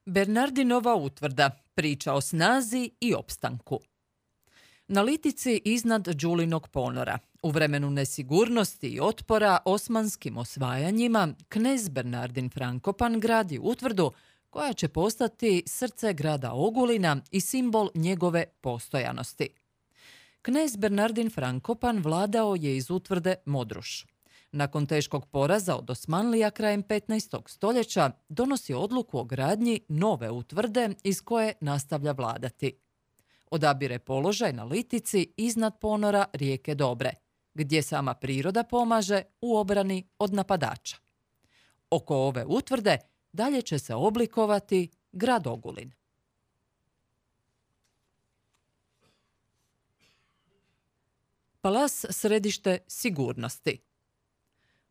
Bernardinova utvrda, priča o snazi i opstanku. Na litici iznad Đulinog ponora, u vremenu nesigurnosti i otpora osmanskim osvajanjima, knez Bernardin Frankopan gradi utvrdu koja će postati srce grada Ogulina i simbol njegove postojanosti. Knez Bernardin Frankopan vladao je iz utvrde Modruš. Nakon teškog poraza od Osmanlija krajem 15. stoljeća donosi odluku o gradnji nove utvrde iz koje nastavlja vladati. Odabire položaj na litici iznad ponora rijeke Dobre, gdje sama priroda pomaže u obrani od napadača. Oko ove utvrde dalje će se oblikovati grad Ogulin. Palas središte sigurnosti.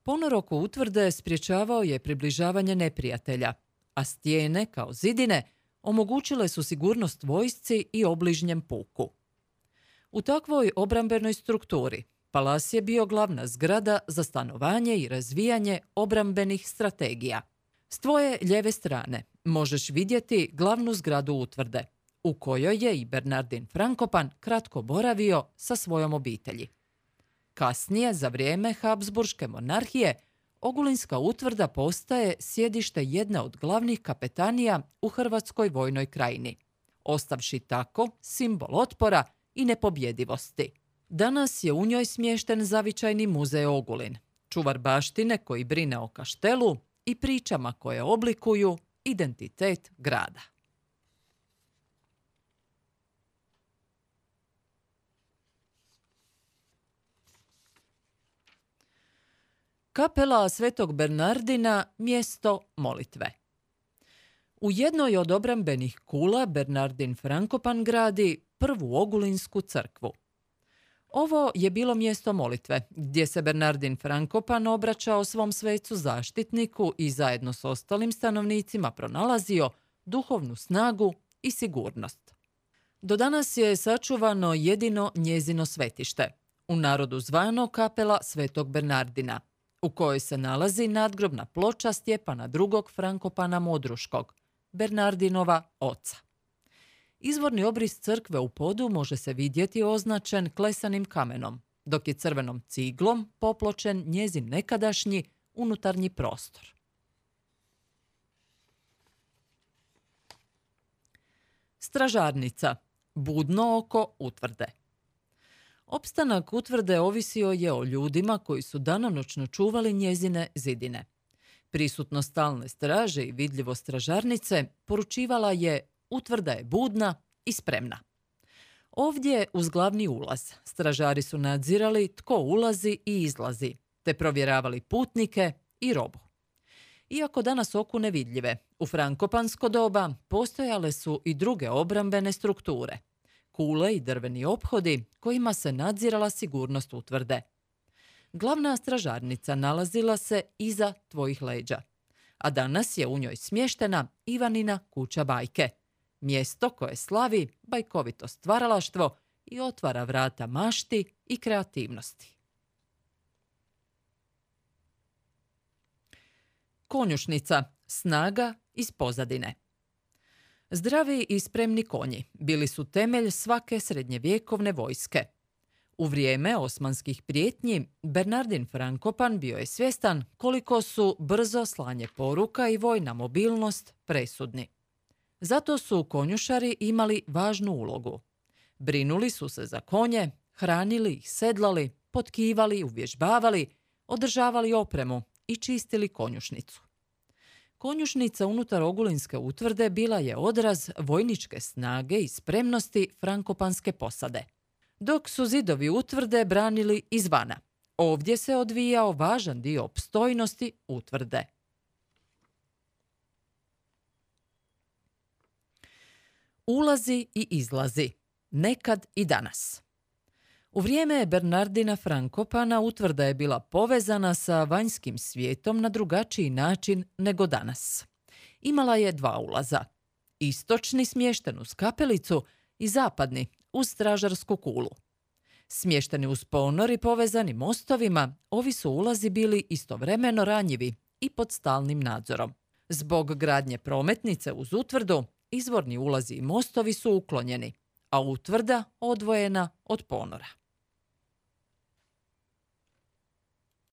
Ponor oko utvrde sprječavao je približavanje neprijatelja, a stijene, kao zidine, omogućile su sigurnost vojsci i obližnjem puku. U takvoj obrambenoj strukturi palas je bio glavna zgrada za stanovanje i razvijanje obrambenih strategija. S tvoje lijeve strane možeš vidjeti glavnu zgradu utvrde, u kojoj je i Bernardin Frankopan kratko boravio sa svojom obitelji. Kasnije, za vrijeme Habsburške monarhije, Ogulinska utvrda postaje sjedište jedne od glavnih kapetanija u Hrvatskoj vojnoj krajini, ostavši tako simbol otpora i nepobjedivosti. Danas je u njoj smješten zavičajni muzej Ogulin, čuvar baštine koji brine o kaštelu i pričama koje oblikuju identitet grada. Kapela Svetog Bernardina, mjesto molitve. U jednoj od obrambenih kula Bernardin Frankopan gradi prvu Ogulinsku crkvu. Ovo je bilo mjesto molitve, gdje se Bernardin Frankopan obraćao svom svecu zaštitniku i zajedno s ostalim stanovnicima pronalazio duhovnu snagu i sigurnost. Do danas je sačuvano jedino njezino svetište, u narodu zvano kapela Svetog Bernardina, u kojoj se nalazi nadgrobna ploča Stjepana II. Frankopana Modruškog, Bernardinova oca. Izvorni obris crkve u podu može se vidjeti označen klesanim kamenom, dok je crvenom ciglom popločen njezin nekadašnji unutarnji prostor. Stražarnica, budno oko utvrde. Opstanak utvrde ovisio je o ljudima koji su danonoćno čuvali njezine zidine. Prisutnost stalne straže i vidljivost stražarnice poručivala je utvrda je budna i spremna. Ovdje, uz glavni ulaz, stražari su nadzirali tko ulazi i izlazi, te provjeravali putnike i robu. Iako danas oku nevidljive, u frankopansko doba postojale su i druge obrambene strukture, kule i drveni ophodi kojima se nadzirala sigurnost utvrde. Glavna stražarnica nalazila se iza tvojih leđa, a danas je u njoj smještena Ivanina kuća bajke, mjesto koje slavi bajkovito stvaralaštvo i otvara vrata mašti i kreativnosti. Konjušnica, snaga iz pozadine. Zdravi i spremni konji bili su temelj svake srednjevjekovne vojske. U vrijeme osmanskih prijetnji, Bernardin Frankopan bio je svjestan koliko su brzo slanje poruka i vojna mobilnost presudni. Zato su konjušari imali važnu ulogu. Brinuli su se za konje, hranili ih, sedlali, potkivali, uvježbavali, održavali opremu i čistili konjušnicu. Konjušnica unutar Ogulinske utvrde bila je odraz vojničke snage i spremnosti frankopanske posade. Dok su zidovi utvrde branili izvana, ovdje se odvijao važan dio opstojnosti utvrde. Ulazi i izlazi, nekad i danas. U vrijeme Bernardina Frankopana utvrda je bila povezana sa vanjskim svijetom na drugačiji način nego danas. Imala je dva ulaza, istočni smješten uz kapelicu i zapadni uz stražarsku kulu. Smješteni uz ponor i povezani mostovima, ovi su ulazi bili istovremeno ranjivi i pod stalnim nadzorom. Zbog gradnje prometnice uz utvrdu, izvorni ulazi i mostovi su uklonjeni, a utvrda odvojena od ponora.